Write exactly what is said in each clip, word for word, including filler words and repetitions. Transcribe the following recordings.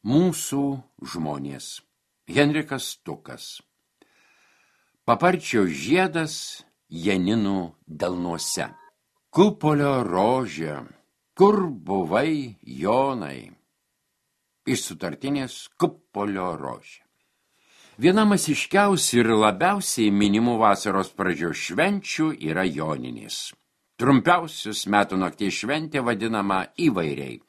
Mūsų žmonės. Henrikas Tukas. Paparčio žiedas Janinų delnuose. Kupolio rožė, kur buvai, Jonai? Iš sutartinės Kupolio rožė. Viena masiškiausių ir labiausiai minimų vasaros pradžios švenčių yra Joninės. Trumpiausius metų nakties šventė vadinama įvairiai.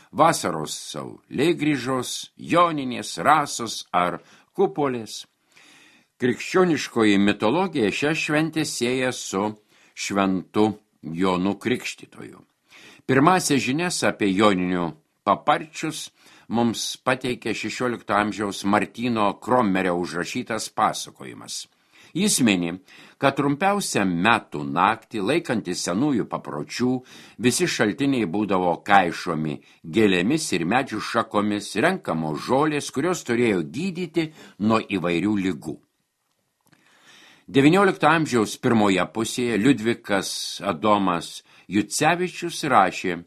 Vasaros saulėgrįžos, Joninės, Rasos ar Kupolės. Krikščioniškoji mitologija šią šventę sieja su šventu Jonu Krikštytoju. Pirmąsias žinias apie Joninių paparčius mums pateikė šešiolikto amžiaus Martyno Kromerio užrašytas pasakojimas. Jis mini, kad trumpiausią metų naktį, laikantis senųjų papročių, visi šaltiniai būdavo kaišomi gėlėmis ir medžių šakomis, renkamos žolės, kurios turėjo gydyti nuo įvairių ligų. devyniolikto amžiaus pirmoje pusėje Liudvikas Adomas Jucevičius rašė,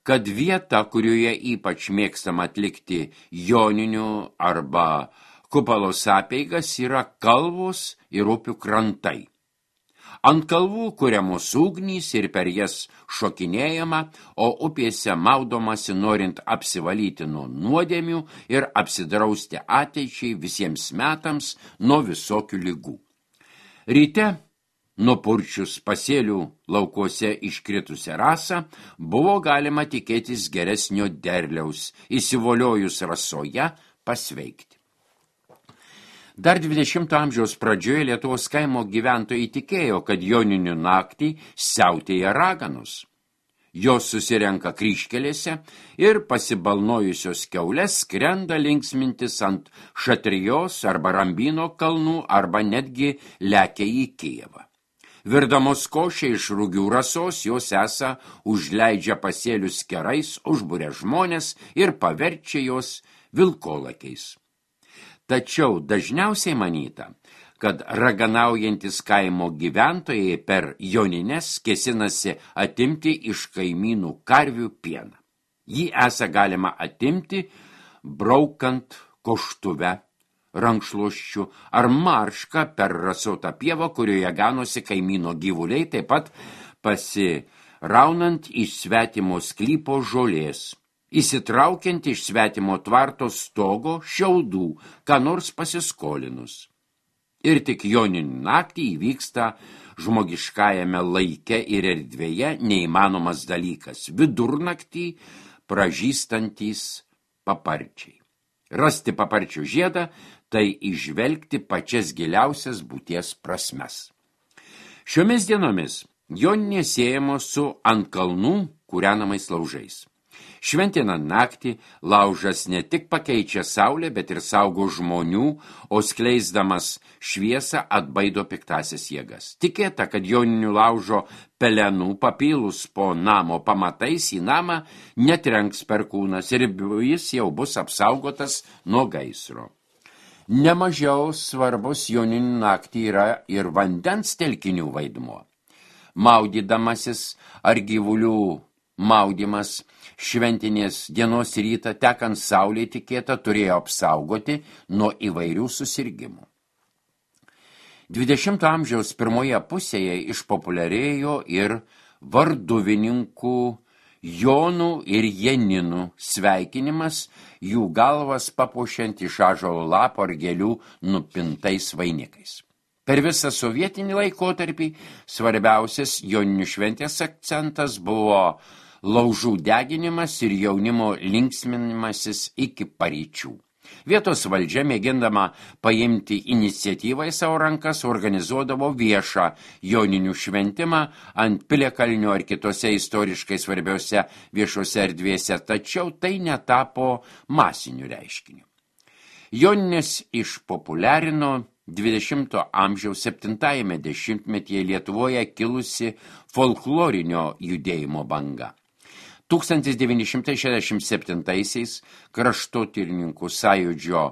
kad vieta, kurioje ypač mėgstama atlikti joninių arba kupalos apeigas, yra kalvos ir upių krantai. Ant kalvų kuriamos ugnys ir per jas šokinėjama, o upėse maudomasi norint apsivalyti nuo nuodėmių ir apsidrausti ateičiai visiems metams nuo visokių ligų. Ryte, nupurčius pasėlių laukuose iškritusią rasą, buvo galima tikėtis geresnio derliaus, įsivoliojus rasoje pasveikti. Dar dvidešimto amžiaus pradžioje Lietuvos kaimo gyventojai tikėjo, kad joninių naktį siautėja raganos. Jos susirenka kryžkelėse ir pasibalnojusios kiaulės skrenda linksmintis ant Šatrijos arba Rambino kalnų arba netgi lekia į Kijevą. Virdamos košę iš rugių rasos, jos esą užleidžia pasėlius kerais, užburia žmonės ir paverčia jos vilkolakiais. Tačiau dažniausiai manyta, kad raganaujantis kaimo gyventojai per jonines kėsinasi atimti iš kaimynų karvių pieną. Jį esą galima atimti, braukant koštuve, rankšluosčiu ar maršką per rasotą pievą, kurioje ganosi kaimyno gyvuliai, taip pat pasiraunant iš svetimo sklypo žolės, įsitraukiant iš svetimo tvarto stogo šiaudų, ką nors pasiskolinus. Ir tik joninių naktį įvyksta žmogiškajame laike ir erdvėje neįmanomas dalykas – vidurnaktį pražystantys paparčiai. Rasti paparčių žiedą – tai įžvelgti pačias giliausias būties prasmes. Šiomis dienomis joninė siejamos su ant kalnų kūrenamais laužais. Šventinant naktį laužas ne tik pakeičia saulę, bet ir saugo žmonių, o skleisdamas šviesą atbaido piktasias jėgas. Tikėta, kad joninių laužo pelenų papilus po namo pamatais į namą netrenks perkūnas ir jis jau bus apsaugotas nuo gaisro. Nemažiau svarbus joninių naktį yra ir vandens telkinių vaidmuo. Maudydamasis ar gyvulių maudymas šventinės dienos rytą tekant saulė tikėta turėjo apsaugoti nuo įvairių susirgimų. dvidešimto amžiaus pirmoje pusėje išpopuliarėjo ir varduvininkų Jonų ir Janinų sveikinimas, jų galvas papuošiant iš ąžuolo lapo ar gėlių nupintais vainikais. Per visą sovietinį laikotarpį svarbiausias joninių šventės akcentas buvo laužų deginimas ir jaunimo linksminimasis iki paryčių. Vietos valdžia, mėgindama paimti iniciatyvą į savo rankas, organizuodavo viešą joninių šventimą ant Piliakalnio ar kitose istoriškai svarbiose viešose erdvėse, tačiau tai netapo masiniu reiškiniu. Joninės išpopuliarino dvidešimto amžiaus septintajame dešimtmetyje Lietuvoje kilusi folklorinio judėjimo banga. tūkstantis devyni šimtai šešiasdešimt septintaisiais kraštotyrininkų sąjūdžio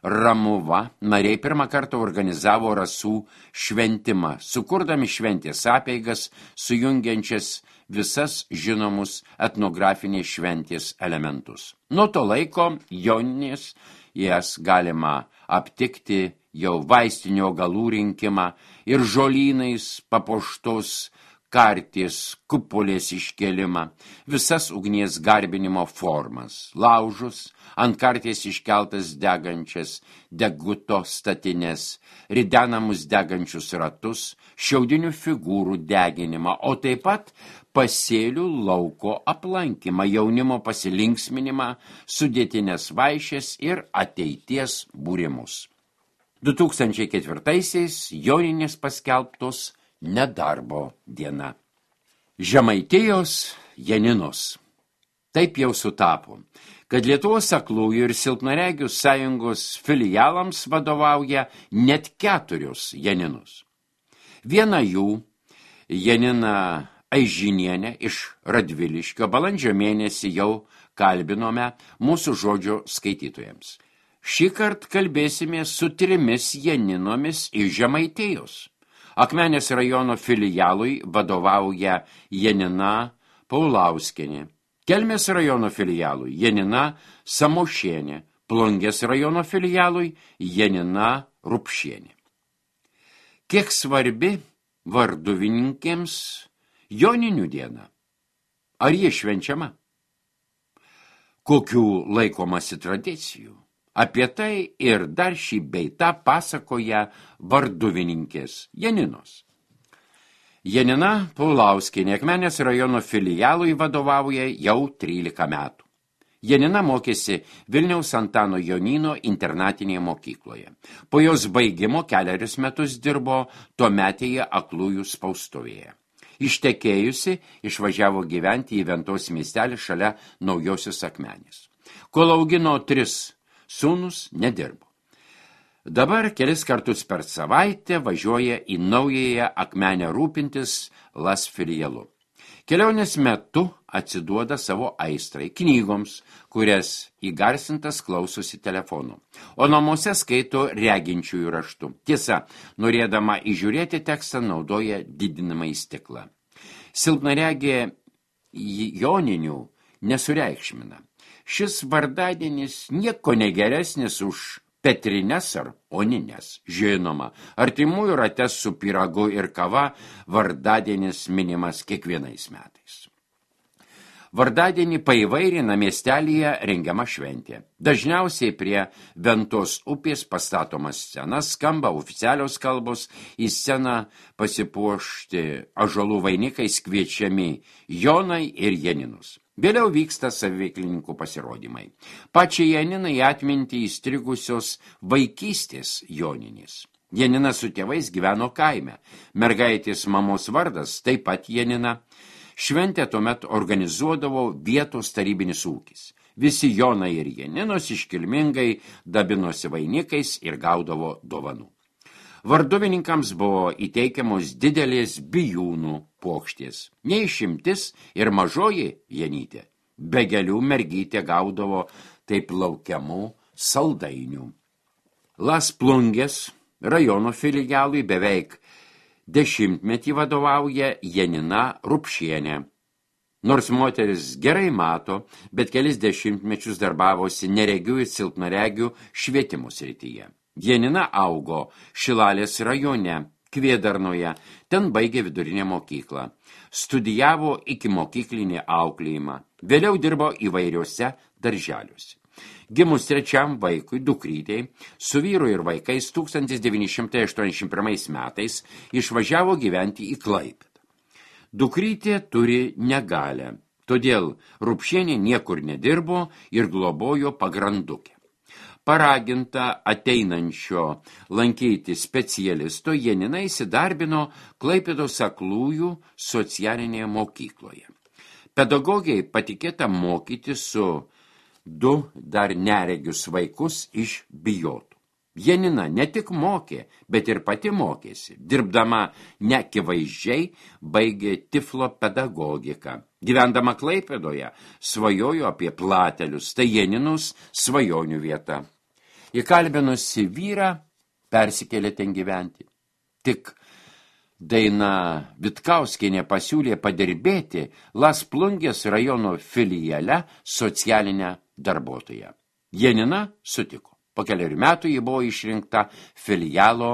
Ramuva nariai pirmą kartą organizavo rasų šventimą, sukurdami šventės apeigas, sujungiančias visas žinomus etnografinės šventės elementus. Nuo to laiko Joninės jas galima aptikti jau vaistinio augalų rinkimą ir žolynais papuoštos karties kupolės iškelimą, visas ugnies garbinimo formas, laužus, ant karties iškeltas degančias deguto statines, ridenamus degančius ratus, šiaudinių figūrų deginimą, o taip pat pasėlių lauko aplankymą, jaunimo pasilinksminimą, sudėtinės vaišės ir ateities būrimus. du tūkstančiai ketvirtaisiais Joninės paskelbtos nedarbo diena. Žemaitijos Janinos. Taip jau sutapo, kad Lietuvos aklųjų ir silpnaregių sąjungos filialams vadovauja net keturios Janinos. Viena jų, Janina Aižinienė iš Radviliškio, balandžio mėnesį jau kalbinome mūsų žodžio skaitytojams. Šįkart kalbėsime su trimis Janinomis iš Žemaitijos. Akmenės rajono filialui vadovauja Janina Paulauskienė, Kelmės rajono filialui Janina Samošienė, Plungės rajono filialui Janina Rupšienė. Kiek svarbi varduvininkėms Joninių diena? Ar jie švenčiama? Kokių laikomasi tradicijų? Apie tai ir dar šį beitą pasakoja varduvininkės Janinos. Janina Paulauskienė Akmenės rajono filialui vadovauja jau trylika metų. Janina mokėsi Vilniaus Antano Jonyno internatinėje mokykloje. Po jos baigimo kelerius metus dirbo tuometėje aklųjų spaustuvėje. Ištekėjusi, išvažiavo gyventi į Ventos miestelį šalia Naujosios Akmenės. Kol augino tris sūnus, nedirbo. Dabar kelis kartus per savaitę važiuoja į naująją Akmenę rūpintis Las filialu. Kelionės metu atsiduoda savo aistrai knygoms, kurias įgarsintas klausosi telefonu, o namuose skaito reginčiųjų raštu. Tiesa, norėdama įžiūrėti tekstą, naudoja didinamąjį stiklą. Silpnaregė Joninių nesureikšmina. Šis vardadienis nieko negeresnis už Petrines ar Onines. Žinoma, artimųjų rate su pyragu ir kava vardadienis minimas kiekvienais metais. Vardadienį paįvairina miestelyje rengiama šventė. Dažniausiai prie Ventos upės pastatomas scenas, skamba oficialios kalbos, į sceną pasipuošti ąžuolų vainikais kviečiami Jonai ir Janinus. Vėliau vyksta saviveiklininkų pasirodymai. Pačiai Janinai atminti įstrigusios vaikystės Joninės. Janina su tėvais gyveno kaime. Mergaitės mamos vardas taip pat Janina. Šventę tuomet organizuodavo vietos tarybinis ūkis. Visi Jonai ir Janinos iškilmingai dabinosi vainikais ir gaudavo dovanų. Varduvininkams buvo įteikiamos didelės bijūnų puokštės. Neišimtis ir mažoji Janytė. Be gėlių mergytė gaudavo taip laukiamų saldainių. Las Plungės rajono filialui beveik dešimtmetį vadovauja Janina Rupšienė. Nors moteris gerai mato, bet kelis dešimtmečius darbavosi neregių ir silpnaregių švietimo srityje. Janina augo Šilalės rajone, Kvėdarnoje, ten baigė vidurinę mokyklą. Studijavo iki mokyklinį auklėjimą, vėliau dirbo įvairiuose darželiuose. Gimus trečiam vaikui, dukrytei, su vyru ir vaikais tūkstantis devyni šimtai aštuoniasdešimt pirmais metais išvažiavo gyventi į Klaipėdą. Dukrytė turi negalią, todėl Rupšienė niekur nedirbo ir globojo pagrandukę. Paraginta ateinančio lankyti specialisto, Janina įsidarbino Klaipėdos aklųjų socialinėje mokykloje. Pedagogiai patikėta mokyti su du dar neregius vaikus iš Bijotų. Janina ne tik mokė, bet ir pati mokėsi. Dirbdama neakivaizdžiai baigė tiflo pedagogiką. Gyvendama Klaipėdoje svajojo apie Platelius, tai Janinus svajonių vieta. Įkalbinusi vyrą persikėlė ten gyventi. Tik Daina Vitkauskienė pasiūlė padirbėti Las Plungės rajono filiale socialinę darbuotoją. Janina sutiko. Po keliarių metų ji buvo išrinkta filialo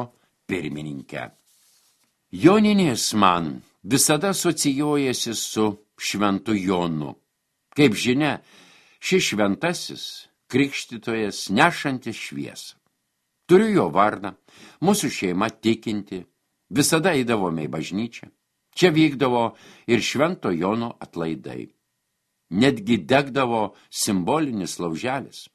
pirmininkė. Joninės man visada asocijuojasi su Šventu Jonu. Kaip žinia, šis šventasis krikštytojas nešantis šviesą. Turiu jo vardą, mūsų šeima tikinti, visada eidavome į bažnyčią. Čia vykdavo ir Švento Jono atlaidai. Netgi degdavo simbolinis lauželis.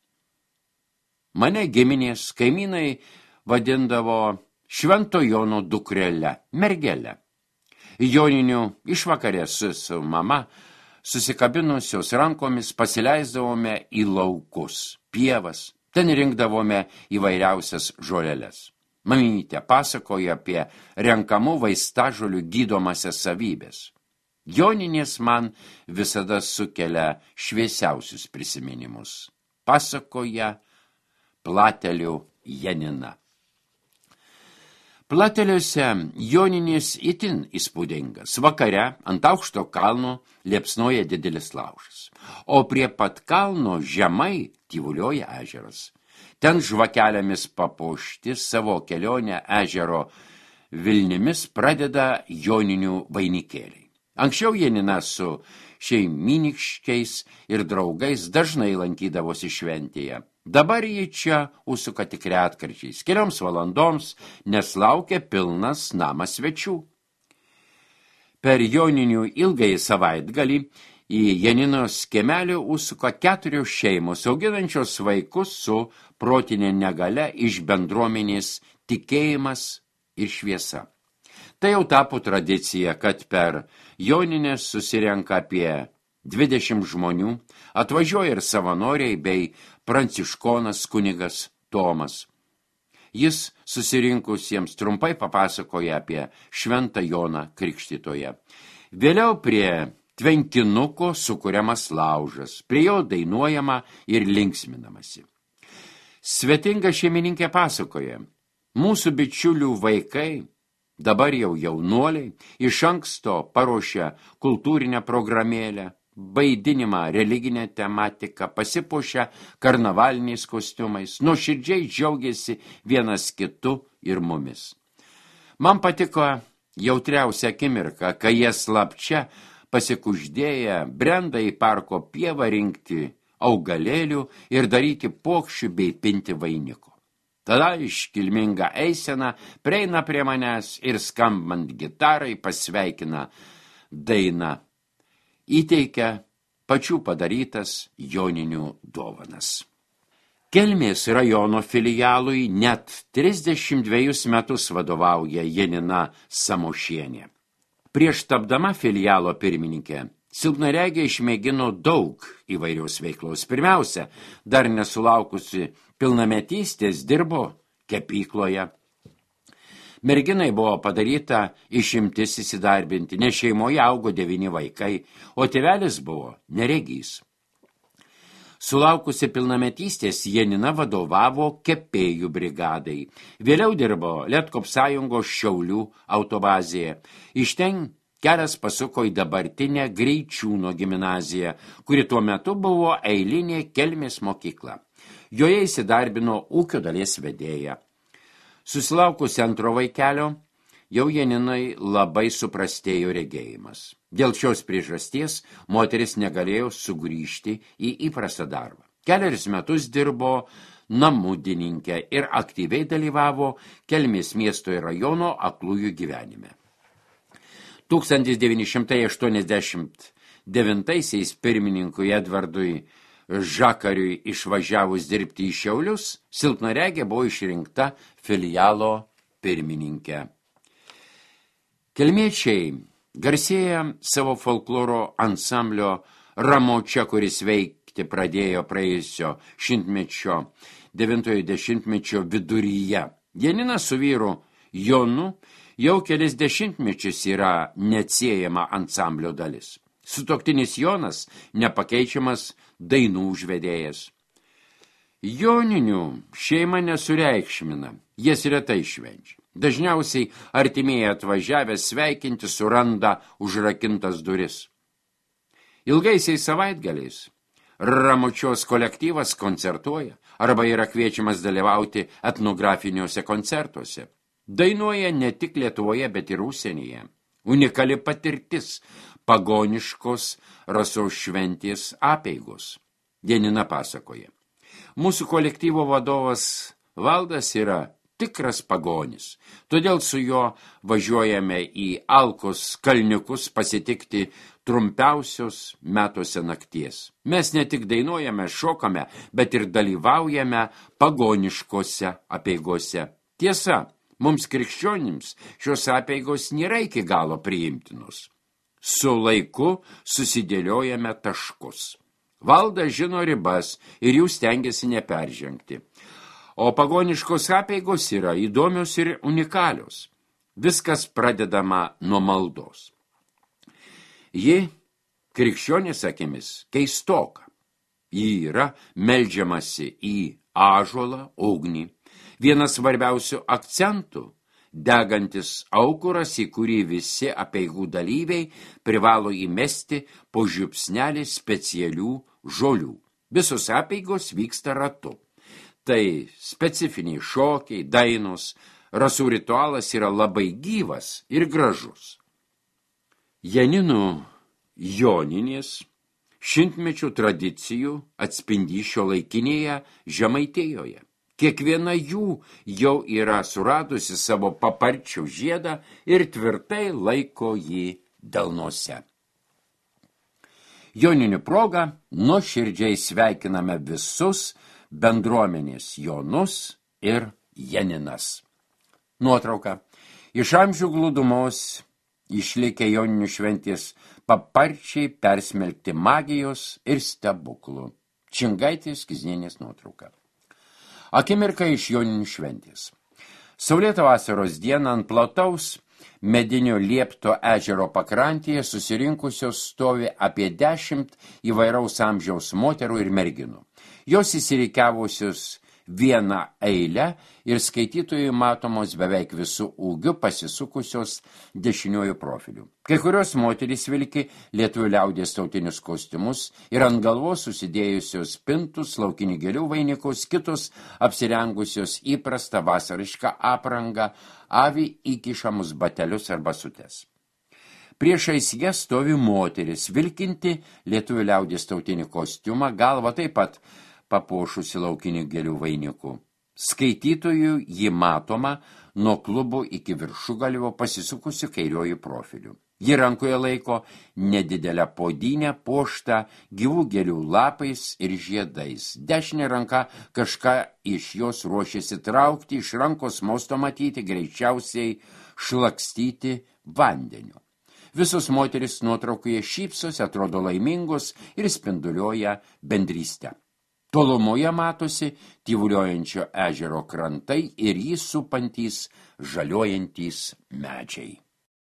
Mane giminės kaimynai vadindavo Švento Jono dukrele, mergele. Joninių išvakarės su mama susikabinusios rankomis pasileisdavome į laukus, pievas, ten rinkdavome įvairiausias žoleles. Mamytė pasakoja apie renkamų vaistažolių gydomasias savybės. Joninės man visada sukelia šviesiausius prisiminimus. Pasakoja Platelių Janina. Plateliuose Joninės itin įspūdingas. Vakare ant aukšto kalno liepsnoja didelis laužas, o prie pat kalno žemai tyvuliuoja ežeras. Ten žvakelėmis papuošti savo kelionę ežero Vilnimis pradeda joninių vainikėliai. Anksčiau Janina su šeimyniškiais ir draugais dažnai lankydavosi šventėje. Dabar jį čia užsuka tik retkarčiais, kelioms valandoms, nes laukia pilnas namas svečių. Per joninių ilgąjį savaitgalį į Janinos kiemelį užsuka keturios šeimos, auginančios vaikus su protinė negalia iš bendruomenės tikėjimas ir šviesa. Tai jau tapo tradicija, kad per Jonines susirenka apie dvidešimt žmonių, atvažiuoja ir savanoriai bei pranciškonas kunigas Tomas. Jis susirinkusiems trumpai papasakoja apie Šventą Joną Krikštytoją. Vėliau prie tvenkinuko sukuriamas laužas, prie jo dainuojama ir linksminamasi. Svetinga šeimininkė pasakoja, mūsų bičiulių vaikai, dabar jau jaunuoliai, iš anksto paruošia kultūrinę programėlę, vaidinimą religinę tematiką, pasipuošia karnavaliniais kostiumais, nuoširdžiai džiaugiasi vienas kitu ir mumis. Man patiko jautriausia akimirka, kai jie slapčia pasikuždėję brenda į parko pievą rinkti augalėlių ir daryti pokščių bei pinti vainiko. Tada iškilminga eisena prieina prie manęs ir skambant gitarai pasveikina daina. Įteikia pačių padarytas joninių dovanas. Kelmės rajono filialui net trisdešimt dvejus metus vadovauja Janina Samošienė. Prieš tapdama filialo pirmininkė, silpnaregė išmėgino daug įvairios veiklos. Pirmiausia, dar nesulaukusi pilnametystės dirbo kepykloje. Merginai buvo padaryta išimtis įsidarbinti, nes šeimoje augo devyni vaikai, o tėvelis buvo neregys. Sulaukusi pilnametystės, Janina vadovavo kepėjų brigadai. Vėliau dirbo Lietkopsąjungos Šiaulių autobazėje. Iš ten kelias pasuko į dabartinę Greičiūno gimnaziją, kuri tuo metu buvo eilinė Kelmės mokykla. Joje įsidarbino ūkio dalies vedėja. Susilaukusi antro vaikelio, jau Janinai labai suprastėjo regėjimas. Dėl šios priežasties moteris negalėjo sugrįžti į įprastą darbą. Keliarius metus dirbo namudininke ir aktyviai dalyvavo Kelmės miesto ir rajono aklųjų gyvenime. tūkstantis devyni šimtai aštuoniasdešimt devintaisiais pirmininkui Edvardui Žakariui išvažiavus dirbti į Šiaulius, silpnaregė buvo išrinkta filialo pirmininkė. Kelmiečiai garsėja savo folkloro ansamblio Ramočia, kuris veikti pradėjo praėjusio šimtmečio, devintojo dešimtmečio viduryje. Janina su vyru Jonu jau kelis dešimtmečius yra neatsiejama ansamblio dalis. Sutuoktinis Jonas nepakeičiamas dainų užvedėjas. Joninių šeima nesureikšmina. jas retai švenčia. Dažniausiai artimieji atvažiavę sveikinti suranda užrakintas duris. Ilgaisiais savaitgaliais Ramučios kolektyvas koncertuoja arba yra kviečiamas dalyvauti etnografiniuose koncertuose. Dainuoja ne tik Lietuvoje, bet ir užsienyje. Unikali patirtis pagoniškos Rasos šventės apeigos. Janina pasakoja. Mūsų kolektyvo vadovas Valdas yra tikras pagonis, todėl su juo važiuojame į Alkos kalniukus pasitikti trumpiausios metuose nakties. Mes ne tik dainuojame, šokame, bet ir dalyvaujame pagoniškose apeigose. Tiesa, mums krikščionims šios apeigos nėra iki galo priimtinos. Su laiku susidėliojame taškus. Valdas žino ribas ir jų stengiasi neperžengti. O pagoniškos apeigos yra įdomios ir unikalios. Viskas pradedama nuo maldos. Ji, krikščionės akimis, keistoka. Ji yra meldžiamasi į ąžuolą, ugnį. Vienas svarbiausių akcentų – degantis aukuras, į kurį visi apeigų dalyviai privalo įmesti po žiupsnelį specialių žolių. Visos apeigos vyksta ratu. Tai specifiniai šokiai, dainos, rasų ritualas yra labai gyvas ir gražus. Janinų joninės šimtmečių tradicijų atspindi šiuolaikinėje Žemaitijoje. Kiekviena jų jau yra suradusi savo paparčių žiedą ir tvirtai laiko jį delnuose. Joninių proga nuoširdžiai sveikiname visus bendruomenės Jonus ir Janinas. Nuotrauka. Iš amžių glūdumos išlikę Joninių šventės paparčiai persmelkti magijos ir stebuklų. Čingaitės Kiznienės nuotrauka. Akimirka iš Joninių šventės. Saulėtą vasaros dieną ant plataus medinio Liepto ežero pakrantėje susirinkusios stovi apie dešimt įvairaus amžiaus moterų ir merginų. Jos įsirikiavusios vieną eilę ir skaitytojui matomos beveik visų ūgių pasisukusios dešiniuoju profiliu. Kai kurios moterys vilki lietuvių liaudies tautinius kostiumus ir ant galvos susidėjusios pintus, laukinių gėlių vainikus, kitos apsirengusios įprastą vasarišką aprangą, avį įkišamus batelius arba sutes. Priešais ją stovi moteris, vilkinti lietuvių liaudies tautinį kostiumą, galva taip pat papuošusi laukinių gėlių vainikų. Skaitytojų ji matoma nuo klubų iki viršugalvio pasisukusių kairiojų profilių. Ji rankoje laiko nedidelę podynę puoštą gyvų gėlių lapais ir žiedais. Dešinė ranka kažką iš jos ruošiasi traukti, iš rankos mosto matyti, greičiausiai šlakstyti vandeniu. Visos moteris nuotraukoje šypsosi, atrodo laimingos ir spinduliuoja bendrystę. Tolumoje matosi tyvuliuojančio ežero krantai ir jį supantys žaliuojantys medžiai.